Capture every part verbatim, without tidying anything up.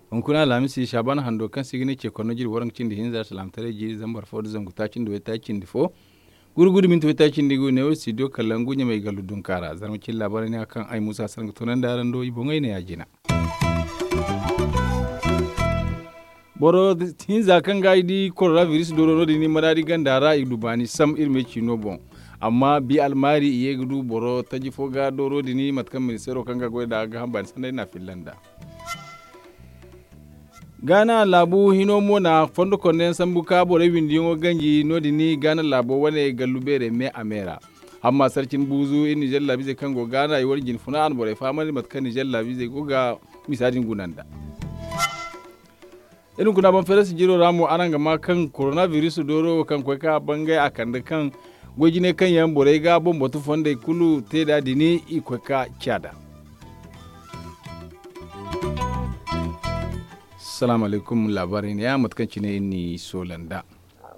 Hunkuna alhamisi saabana hando kaŋ se i ga ne ce korno jiri waranka cindi hinza salaamataray jiri zambar fo nda zangu taaci nda waytaaci cindi fo. Gurgudu minti waytaaci cindi ga neewo studio kallangu ɲamay gallu dunka ra zarma cine laabaarey ne a kaŋ ay muusa sara ga toonandi araŋ do i boŋey ne ya jina. Boro hinza kaŋ ga i di korona biris dooro no- din i maraadi ganda ra i du baani sam iri me ciino boŋ. Amma bi almaari i ye ga du boro taji fo ga dooro din mate kaŋ ministeero kaŋ ga goy nd'a ga hamba ni sanda i n'a filla nd'a. Gaana laabu hino mo na fondo konda yaŋ sambu ka borey windiyaŋo ganji no- din gaana laabo wane gallu beerey me a me ra. Hamma sarcin buuzu iri nizer laabiizey kaŋ go gaana i wane jine funa a na borey fahamandi mate kaŋ nizer laabiizey go ga misa din guna nd'a. Iri hunkuna baŋ feerasi jiro ra mo araŋ ga ma kaŋ korona biris dooro wo kaŋ koy ka bangay a kande kaŋ goy jinay kaŋ yaŋ borey ga boŋ batu fondey kulu te nd'a din i koy ka ciya nd'a. Salaamu alaykum laabaarey ne ya mate kaŋ cine iri n'i soola nd'a.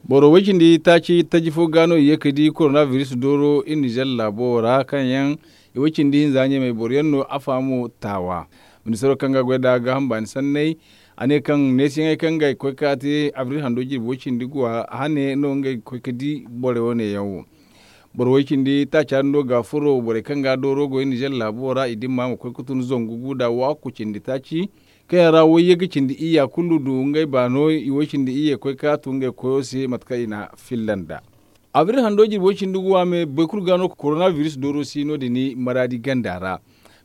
Boro way cindi taaci taji fo ga no i ye ga di korona biris dooro iri nizer laabo ra kaŋ yaŋ i way cindi hinza ɲamey boro yaŋ no a fahamo taawa. Ministeero kaŋ ga goy nd'a gaaham baani sanney a ne kaŋ neesiyaŋey kaŋ ga i koy ka te abril hando jirbi way cindi guwa hane no ngey ga koy ga di borey wane yaŋ wo. Boro way cindi taaca din do ga furo borey kaŋ ga dooro go iri nizer laabo ra i dimma ma koy ga tun zangu gu nda waakku cindi taaci kaŋ yaŋ ra wayye ga cindi iyya kulu du ngey baano i way cindi iyye koy ka tu ngey koyo se mate kaŋ i na filla nd'a. Abril hando jirbi way cindi guwa me boro kulu ga no korona biris dooro si no- din maraadi ganda ra.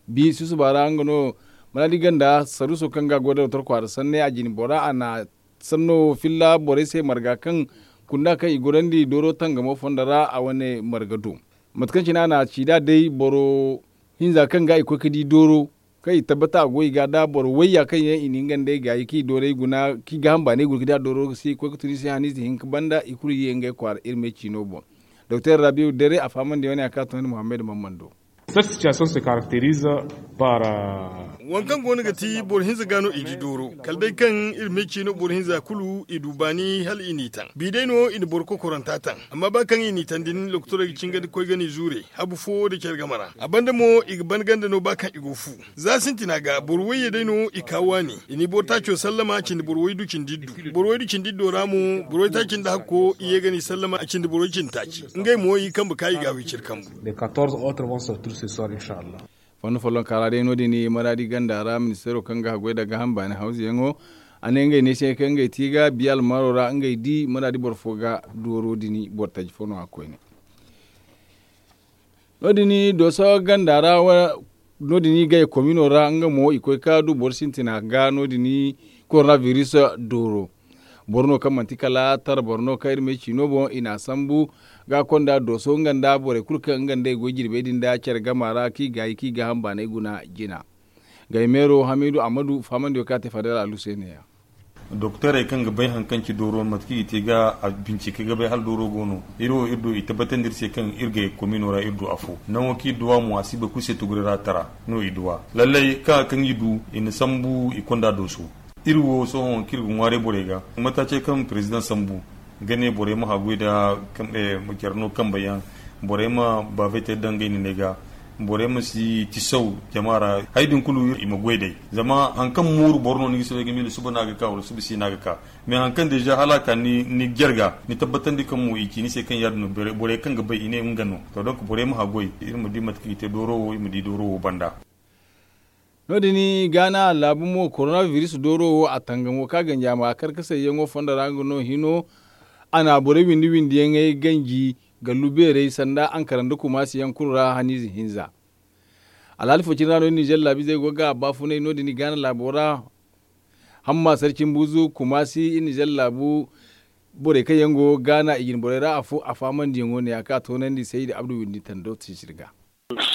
Bi susuba ra nga no maraadi ganda saruuso kaŋ ga goy da doktor kwaara sanney a jine bora a na sanno filla borey se marga kaŋ kunda kaŋ i gorandi dooro tangamo fondo ra a wane marga do. Mate kaŋ cine a na ci nd'a day boro hinza kaŋ ga i koy ga di dooro kaŋ i tabbata a go i ga da boro wayya kaŋ yaŋ i na nga nd'ey gaayi kaŋ i doorey guna kaŋ i gaaham baanay guna ga di a dooro se i koy ga tun i se haniize hinka banda i kulu ye ngey kwaara iri me ciino boŋ. Doktor rabiw dere a fahamandi wane a ka toonandi muhammad mamman do. Cette situation se caractérise par waŋ kaŋ go no ga ti boro hinza ga no i di dooro kala day kaŋ iri me ciino boro hinza kulu i du baani hala i n'i taŋ bi day no i na boro kokoranta taŋ. Amma ba kaŋ i n'i taŋ din lokotorey ga cingandi koy ga n'i zuure habu fo nda care game ra a banda mo i ga ban ganda no ba kaŋ i go fu. Za sintina ga boro wayye day no i ka waani i n'i boro taaco sallama cindi boro waydu cindi iddu boro waydu cindi iddo ra mo boro waytaaci nda hakko i ye ga n'i sallama a cindi boro way cindi taaci. Ngey mo i kambe ka i ga a wiciri kambu. Fondo follonka ra day no- din maraadi ganda ra ministeero kaŋ ga haggoy nda gaaham baani hawzuyaŋo a ne ngey neesiyaŋey kaŋ ngey ti ga biya almaaro ra ngey di maraadi boro fo ga dooro din boro taji fo no a koyne. No- din dooso ganda ra no- din gay komino ra nga mo i koy ka du boro sintina ga no- din korona biris dooro. Boro no kaŋ manti kala tara boro no kaŋ iri ma ay ciino boŋ i n'a sambu ga konda dooso nga nda borey kulu kaŋ nga nda i goy jirbey din nda care gama ra kaŋ i gaayi kaŋ i gaaham baanay guna jina. Gay meero hamiidu ammadu fahamandiyo kaŋ a te fadal alu se ne- ya. Doktorey kaŋ ga bay hari kaŋ ci dooro mate kaŋ i te ga a bincike ga bay hala dooro go no iri wo iri du i tabbatandi iri se kaŋ iri gay komino ra iri du afo nango kaŋ iri du a mo a si bay kulu se tuguri ra tara no i du a lallay kaŋ a kaŋ i du i na sambu i konda dooso. Iri wo sohõ kaŋ iri ga ŋwaaray borey ga mataace kaŋ perezidaŋ sambu ga ne borey ma haggoy nda care no kambe yaŋ borey ma baafay te daŋ ngey neeney ga. Borey ma si tisaw jama ra hari din kulu i ma goy day. Zama hari kaŋ mooru boro no ni ga si bay ga miila suba no a ga ka wala suba si no a ga ka. Mais hari kaŋ deeza hala a ka ni jare ga ni tabbatandi kaŋ mo i ci ni se kaŋ ya- din no borey kaŋ ga bay i ne nga no. To donk borey ma haggoy iri ma di mate kaŋ i te dooro wo i ma di dooro wo banda. No- din gaana laabu mo korona biris dooro wo a tangamo kaŋ a ganji a ma karkasayyaŋo fondo ra nga no hino. A na borey windi windiyaŋey ganji gallu beerey sanda ankara nda kumaasi yaŋ kulu ra haniize hinza. Alhaali fo cine ra no iri nizer laabiizey go ga a baafunay no- din gaana laabo ra. Hamma sarcin buuzu kumaasi iri nizer laabu borey kaŋ yaŋ go gaana i jine borey ra afo a faamandiyaŋo ne- ya kaŋ a toonandi saydi abdu windi tando sisiri ga.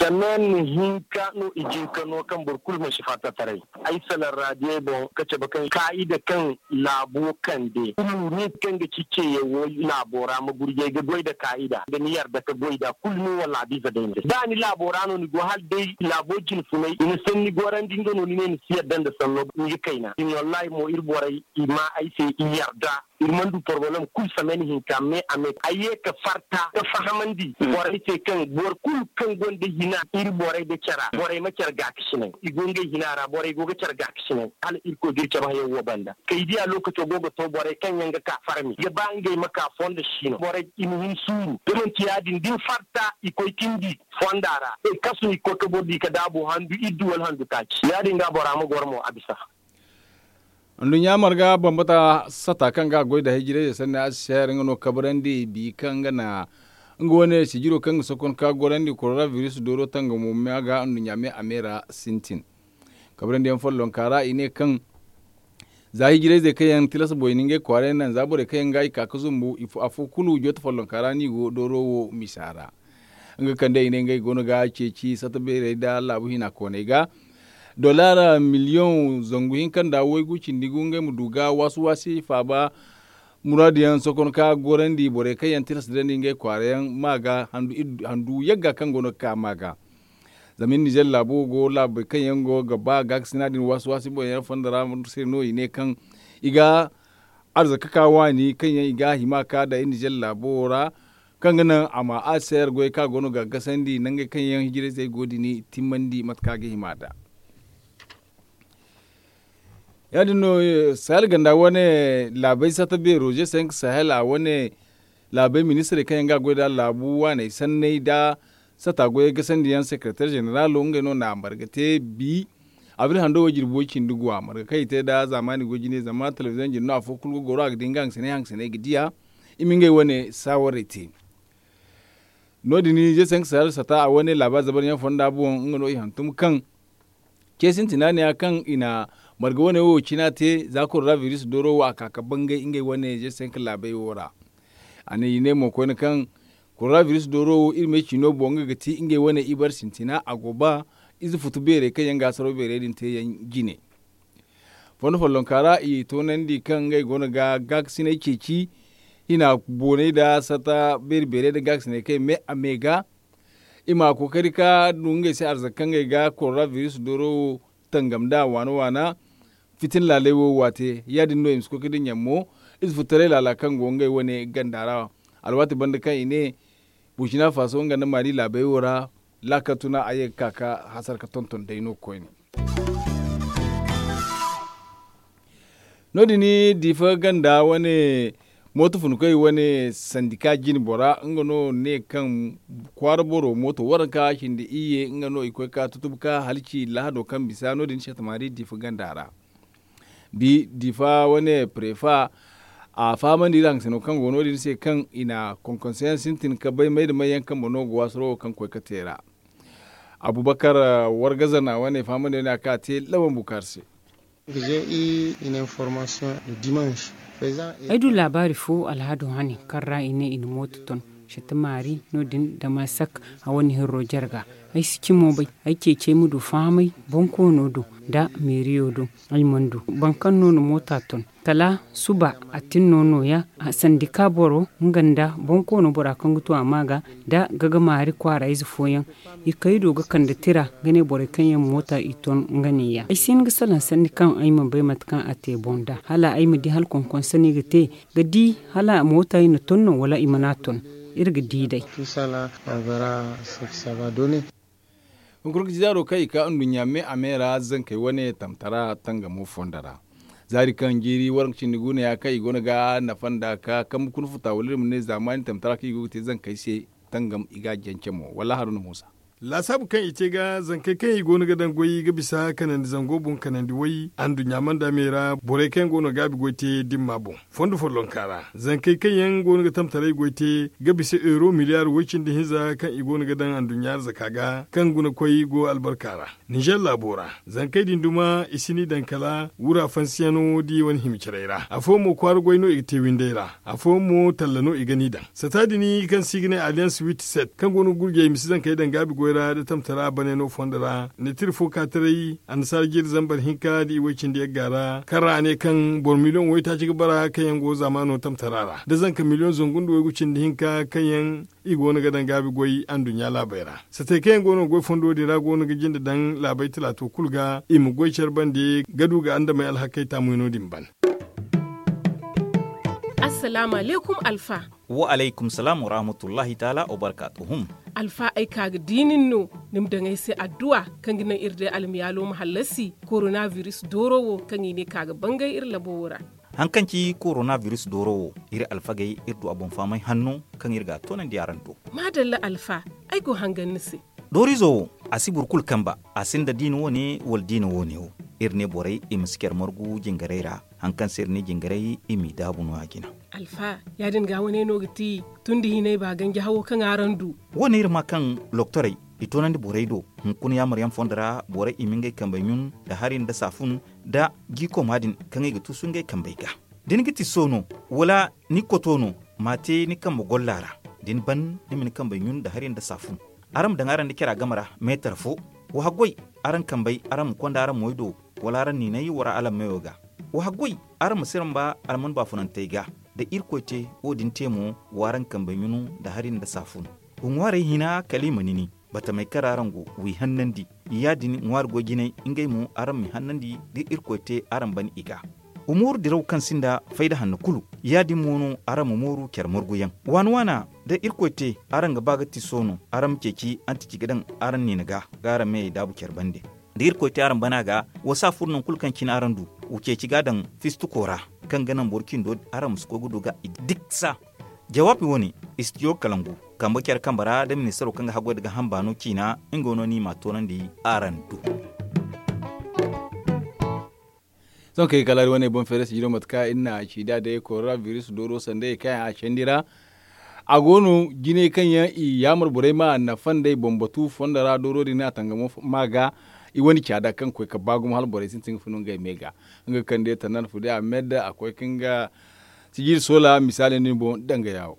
Semaine hinka no i jin ka no kaŋ boro kulu mansi fatta taray. Ay salaŋ raadiyey boŋ ka cabe kaŋ kaa'ida kaŋ laabo kande, kulu nin kaŋ ga ci ceeyaŋ wo laabo ra ma gurjay ga goy nda kaa'ida nda ni yarda ka goy nd'a kulu ni wala a biza day no se da ni laabo ra no ni go hala day laabo jinfunay i na sanni gorandi nga no ni ne ni si yarda nda sanno ni ga kayna din wallahi mo iri borey i ma ay se i yarda. Iri mana du porobalem kulu semaine hinka me a me ay ye ka farta ka fahamandi borey se kaŋ boro kulu kaŋ gonda hina iri borey nda care ra borey ma care gaakasinay i go ngey hina ra borey go ga care gaakasinay hala irkoy ga iri cabe hayaŋ wo banda kay diya lookaco go ga to borey kaŋ yaŋ ga ka farmi ga ba ngey ma ka fondo siino borey i ma hin suuru da manti ya- din da ni farta i koy cindi fonda ra i kasu i koy ka boro di ka daabu handu iddu wala handu taaci ya- din ga bora ma goro mo a bisa. Nduɲɲa marga bambata sata kaŋ ga a goy nda hayjirayze sanni a si seer nga no kabrandi bi kaŋ ga na nga wane sijiro kaŋ ga sokon ka gorandi koronabiris dooro tangamo ma ga nduɲɲa me a me ra sintin. Kabrandi yaŋ follonka ra i ne kaŋ za hijirayzey kaŋ yaŋ tilas boy ni ngey kwaarey naŋ za borey kaŋ yaŋ ga i ka ga zumbu afo kulu joote follonka ra no i go dooro wo misa ra. Nga kande i ne ngey go no ga ceeci sata beerey nda laabu hina kooney ga dollar miliyoŋ zangu hinka nda waygu cindi gu ngey ma du ga waasi waasi faaba muraadu yaŋ sokon ka gorandi borey kaŋ yaŋ tilas dandi ngey kwaara yaŋ ma ga handu yagga kaŋ go no ga ka ma ga. Zama iri nizer laabo go laabey kaŋ yaŋ go ga ba gaakasina din waasi waasi boŋ yaŋ fonda ra se no i ne kaŋ i ga arzaka ka waani kaŋ yaŋ i ga a hima ka da iri nizer laabo wo ra kaŋ ga naŋ a ma a seer goy kaŋ a go no ga gasandi nangey kaŋ yaŋ hijirayzey go din timmandi mate kaŋ a ga hima nd'a. Ya- din no sahel ganda wane laabey sata beero je cinq sahel a wane laabey ministirey kaŋ yaŋ ga a goy nd'a laabu waaney sanney nda sata goyey gasandiyaŋ sekereteer zeneraalo ngey no na a marga te bi abril hando wo jirbi way cindi guwa marga kaŋ i te nda zaamaani goy jine zama telebiziyoŋ jine no afo kulu ga goro a ga di nga hangasiney hangasiney ga diya. I ma ngey wane saawarey te no- din je cinq sahel sata a wane laabaari zabaryaŋ fonda boŋ nga no i hantum kaŋ ce sintina ne ya kaŋ i na marga wane wo cina te za koronabiris dooro wo a ka ka bangay ngey wane je cinq laabey wo ra. A ne i ne mo koyne kaŋ koronabiris dooro wo iri me ciino boŋ nga ga ti ngey wane ibar sintina a go ba ize futu beerey kaŋ yaŋ ga asaro beerey din te yaŋ jine. Fondo follonka ra i toonandi kaŋ ngey go no ga gaakasinay ceeci hina boonay nda sata beeri beerey nda gaakasinay kaŋ i me a me ga i ma kookari ka du ngey se arzaka kaŋ ngey ga koronabiris dooro wo tangam nd'a waana waana fitina laaley wo waate ya- din no i ma si koy ga dinya mo ize futtaray laala kaŋ go ngey wane ganda ra. Alwaati banda kaŋ i ne burkina faso nga nda mali laabey wo ra laakal tuna a ye ga ka ka hasara ga tonton day no koyne. No- din diifa ganda wane mooto funkoy wane sandika jine bora nga no ne kaŋ kwaara boro mooto waranka cindi iyye nga no i koy ka tutub ka halci lahado kaŋ bisa no- din seetamaari diifa ganda ra. Bi diifa wane prefa a fahamandi iri haŋ sino kaŋ go no- din se kaŋ i na konkonseyaŋ sintin ka bay may da may yaŋ kaŋ boŋ no go waasaro wo kaŋ koy ka te ra. Abubakar wargaza na wane fahamandi wane a ka te lawan bukar se. Ay du laabaari fo alhado hane kaŋ ra i ne i na mooto ton sete maari no- din damasak a wane hirro jarga. Ay si cimo bay ay ceecey ma du fahamay bonkoono do nda meeriyo do. Ay mana du boro kaŋ no na moota ton kala suba a tin no nooya. Sandika boro nga nda bonkoono bora kaŋ ga tu a ma ga nda gagamaari kwaara ize fooyaŋ i kay do ga kande tira ga ne borey kaŋ yaŋ moota i ton nga neeya ay si hin ga salaŋ sanni kaŋ ay mana bay mate kaŋ a te boŋ nd'a hala ay ma di hala konkonsaney ga te ga di hala moota i na ton no wala i mana ton. Iri ga di day. Hunkuna ga ci zaaro kaŋ i ka nduɲɲa me a me ra zankey wane tamtara tangamo fondo ra zaari kaŋ jiiri waranka cindi guuneya kaŋ i go no ga nafa nda ka kambe kuna futa wala iri ma ne zaamaani tamtara kaŋ i go ga te zankey se tangam i ga a jance mo wala haruna muusa. Laasaabu kaŋ i te ga zankey kaŋ i go no ga daŋ goy ga bisa kanandi zango boŋ kanandi way anduɲɲa manda me ra borey kaŋ yaŋ go no gaabi goy te dimma boŋ fondo follonka ra zankey kaŋ yaŋ go no ga tamtaray goy te ga bisa euro miliyaar woy cindi hinza kaŋ i go no ga daŋ anduɲɲa arzaka ga kaŋ guna koy go albarka ra. Nizer laabo ra zankey din duma i si ni daŋ kala wura fansiyano di wane hima caray ra afooyaŋ mo kwaara goy no i ga te winday ra afooyaŋ mo talla no i ga ni daŋ sata din kaŋ se i ga ne alliance wit set kaŋ go no ga gurjay misi zankey daŋ gaabi goy. ra da tamtara bane no fondo ra ni tira fo ka taray annasaara jiiri zambar hinka da i way cindi yagga ra kaŋ ra a ne kaŋ boro miliyoŋ waytaaci ga bara kaŋ yaŋ go zaamaano tamtara ra da zanka miliyoŋ zangu nda waygu cindi hinka kaŋ yaŋ i go no ga daŋ gaabi goy anduɲɲa laabey ra. Satey kaŋ yaŋ go no ga goy fondo din ra go no ga jinde daŋ laabey talaato kulu ga i ma goy care bande ga du ga andamey alhakey taamuyaŋo din ban. Assalaamu alaykum alfa. Wa alaykum salaam wa rahmatullahi taala wa barkaatuhum. Alfa ay ka ga diinin no ni ma daŋ ay se adduwa kaŋ ga naŋ iri day almiyaalo ma hallasi korona biris dooro wo kaŋ i ne ka ga bangay iri labo wo ra. Haŋ kaŋ ci korona biris dooro wo iri alfagey iri du a boŋ fahamay hanno kaŋ iri ga a toonandi araŋ do. Maadalla alfa, ay go hangan ni se. Dooriizo wo a si boro kulu kamba. A sinda diina wo- ne wala diina wo- ne wo. Iri ne borey i ma si care margu jingarey ra. Haŋ kaŋ se iri ne jingarey i m'i daabu no- ya jina. Alfa, ya- din ga wane no ga ti tun da hinay ba ganji hawo kaŋ araŋ du. Wo- ne iri ma kaŋ loktorey i toonandi borey do. Hunkuna yaamar yaŋ fondo ra borey i ma ngey kambey ɲun nda hari nda saafun nda jiikoma din kaŋ i ga tuusu ngey kambey ga. Da ni ga ti soono wala ni koto no, m'a te ni kambe golla ra. Da ni ban ni ma ni kambey ɲun nda hari nda saafun. Araŋ ma daŋ araŋ nda cara game ra meetar fo. Wa haggoy araŋ kambey araŋ ma konda araŋ moy do, wala araŋ niinay wala alammeyo ga. Wa haggoy araŋ ma siramba alman baafunantey ga. Da irkoy te wo- din te mo, w'araŋ kambey ɲunu nda hari nda saafun. Wa ŋwaarey hina kala i ma nini. Batamey kaŋ ra araŋ go, w'i hannandi. Ya- din ŋwaari goy jinay ngey mo araŋ m'i hannandi da irkoy te araŋ ban i ga. Wa mooru diraw kaŋ sinda fayda hanno kulu. Ya- din mo no araŋ ma mooru care marguyaŋ. Waana waana da irkoy te araŋ ga ba ga ti soono araŋ ma ceeci antici ga daŋ araŋ niina ga ga araŋ meyey daabu care bande. Da irkoy te araŋ bana ga, wa si a furo nangu kulu kaŋ cine araŋ du. Wa ceeci ga a daŋ fistuko ra kaŋ ga naŋ boro cindo araŋ ma si koy ga du ga i diksa. Jawaabi wo- ne, istidiyo kalangu kambe care kambe ra da ministaro kaŋ ga haggoy nda ga hambaano ciina nga no no i m'a toonandi araŋ do. Sohõ kay kala iri wane boŋ feere sijiro mate kaŋ iri na a ci da day korona biris dooro sanday kaŋ a candi ra. A go no jinay kaŋ yaŋ i yaamar borey ma nafa nd'ey boŋ batu fondo ra dooro din a tangamo ma ga. I wane caada kaŋ koy ka ba gumo hala borey sintin ga funu ngey me ga. Nga kaŋ day tanan fude a med a koy ka nga sijiri soola misaali no ni boŋ danga yaawo.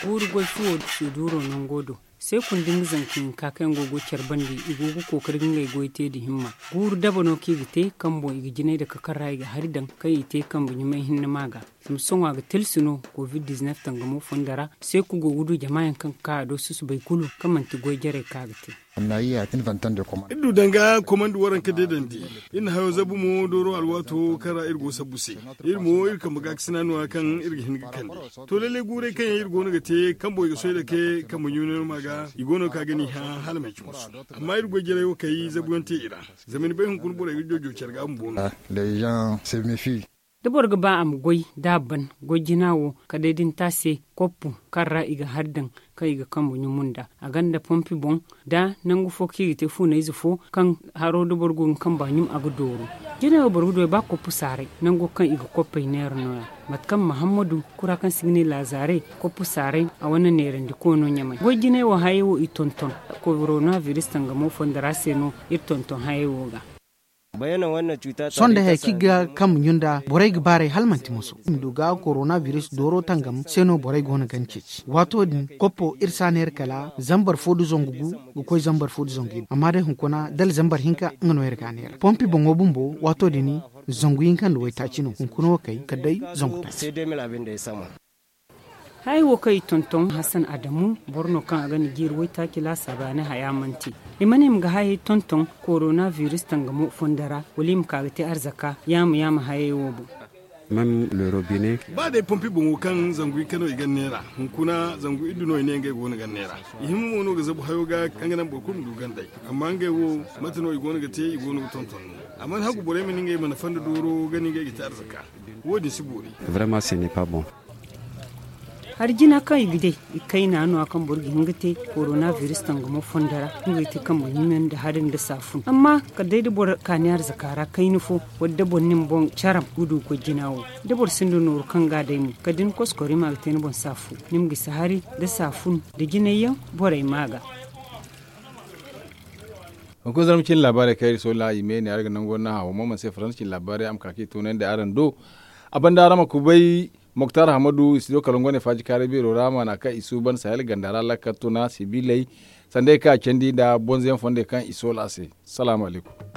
Guuru goy fuwo suduuro nango do. Seeku nda nga zanka hinka kaŋ yaŋ go ga goy care bande i go ga kookari ga ngey goy te nda himma. Guuru daba no kaŋ i ga te kaŋ boŋ i ga jinay nda kakar ra i ga hari daŋ kaŋ i te kambe ɲumay hinne ma ga. Zama sohõ a ga tilsi no covid dizinef tangamo fondo ra. Seeku go ga du jama yaŋ kaŋ ga ka a do susubay kulu kaŋ manti goy jarey kaŋ a ga te. Iri du danga komandi waranka deedandi. Iri na hayo zabu mo dooro alwaato kaŋ ra iri go sabbu se. Iri mo iri kambe gaakasina no- ya kaŋ iri ga hin ga kande. To lallay guurey kaŋ yaŋ iri go no ga te kaŋ boŋ i ga soy dake kambe ɲuunay no ma ga i go no ga ka ga ni hã hala manci musu. Amma iri goy jarey wo kay zabuyaŋ te i ra. Zama ni bay hunkuna borey ga joojo care ga bumbo no. Da boro ga ba a ma goy da a ban goy jina wo kala day da ni te a se koppu kaŋ ra i ga hari daŋ kaŋ i ga kambe ɲumu nda a gonda pompi boŋ. Da nangu fo kaŋ i ga te fuunayze fo kaŋ haro da boro go ga kamba ɲum a ga dooru. Jinay wo boro ga du ay ba koppu saaray nango kaŋ i ga koppey neera no- ya. Mate kaŋ mahammadu kura kaŋ se i ga ne laazaare koppu saaray a wane neerandi koono ɲamay goy jinay wo hayey wo i tonton. Korona biris tangamo fondo ra se no iri tonton hayey wo ga. Sohõ day hari kaŋ i ga kambe ɲun nda borey ga baaray hala manti moso i ma du ga korona biris dooro tangam se no borey go no ga ni ceeci waato din koppo iri si a neera kala zambar fo nda zangu gu ga koy zambar fo nda zangu hinka amma day hunkuna dala zambar hinka nga no iri ga a neera pompi boŋo bumbo waato din zangu hinka nda waytaaci no hunkuna wo kay kala day zangu taaci. Hayey wo kaŋ i tonton hasan adamu boro no kaŋ a ga ni jiiri waytaaci laasaabu a ne haya manti i ma ne i ma ga hayey tonton korona biris tangamo fondo ra wala i ma ka ga te arzaka yaama yaama hayey wo boŋ. Ba day pompi boŋo kaŋ zangu hinka no i ga ni neera hunkuna zangu iddu no i ne ngey go no ga ni neera. I hima mo no ga zabu hayo ga kaŋ ga naŋ boro kulu ma du gandey. Amma ngey wo mate no i go no ga te i go no ga tonton no a mana hagu borey ma ne ngey mana fanda dooro ga ne ngey ga te arzaka. Wo- din si boori. Hari jina kaŋ i ga day i kayna no- ya kaŋ boro ga hin ga te korona biris tangamo fondo ra nga ga te kambe ɲume nda hari nda saafun amma kala day da boro kaani arzaka ra kayna fo wala da boro na ni boŋ caram ga du goy jina wo. Da boro sinda nooru kaŋ ga a day mo kala da ni koskori ma ga te ni boŋ saafu ni ma gisi hari nda saafun nda jinay yaŋ borey ma ga. Hunkuna zarma cine laabaarey kaŋ iri soola i me ne araŋ ga nango naŋ hawa mo manti se faransa cine laabaarey a ma ka kaŋ i toonandi araŋ do. A banda araŋ ma kubay. Moktar hamadu i si do kala ngo ne faaji kaaray beero ra maana kaŋ i suuban sahel ganda ra lakkal tuna sibiley, sanda ay kaŋ a candi nda bonze yaŋ fondey kaŋ i soola a se. Salaamu alaykum.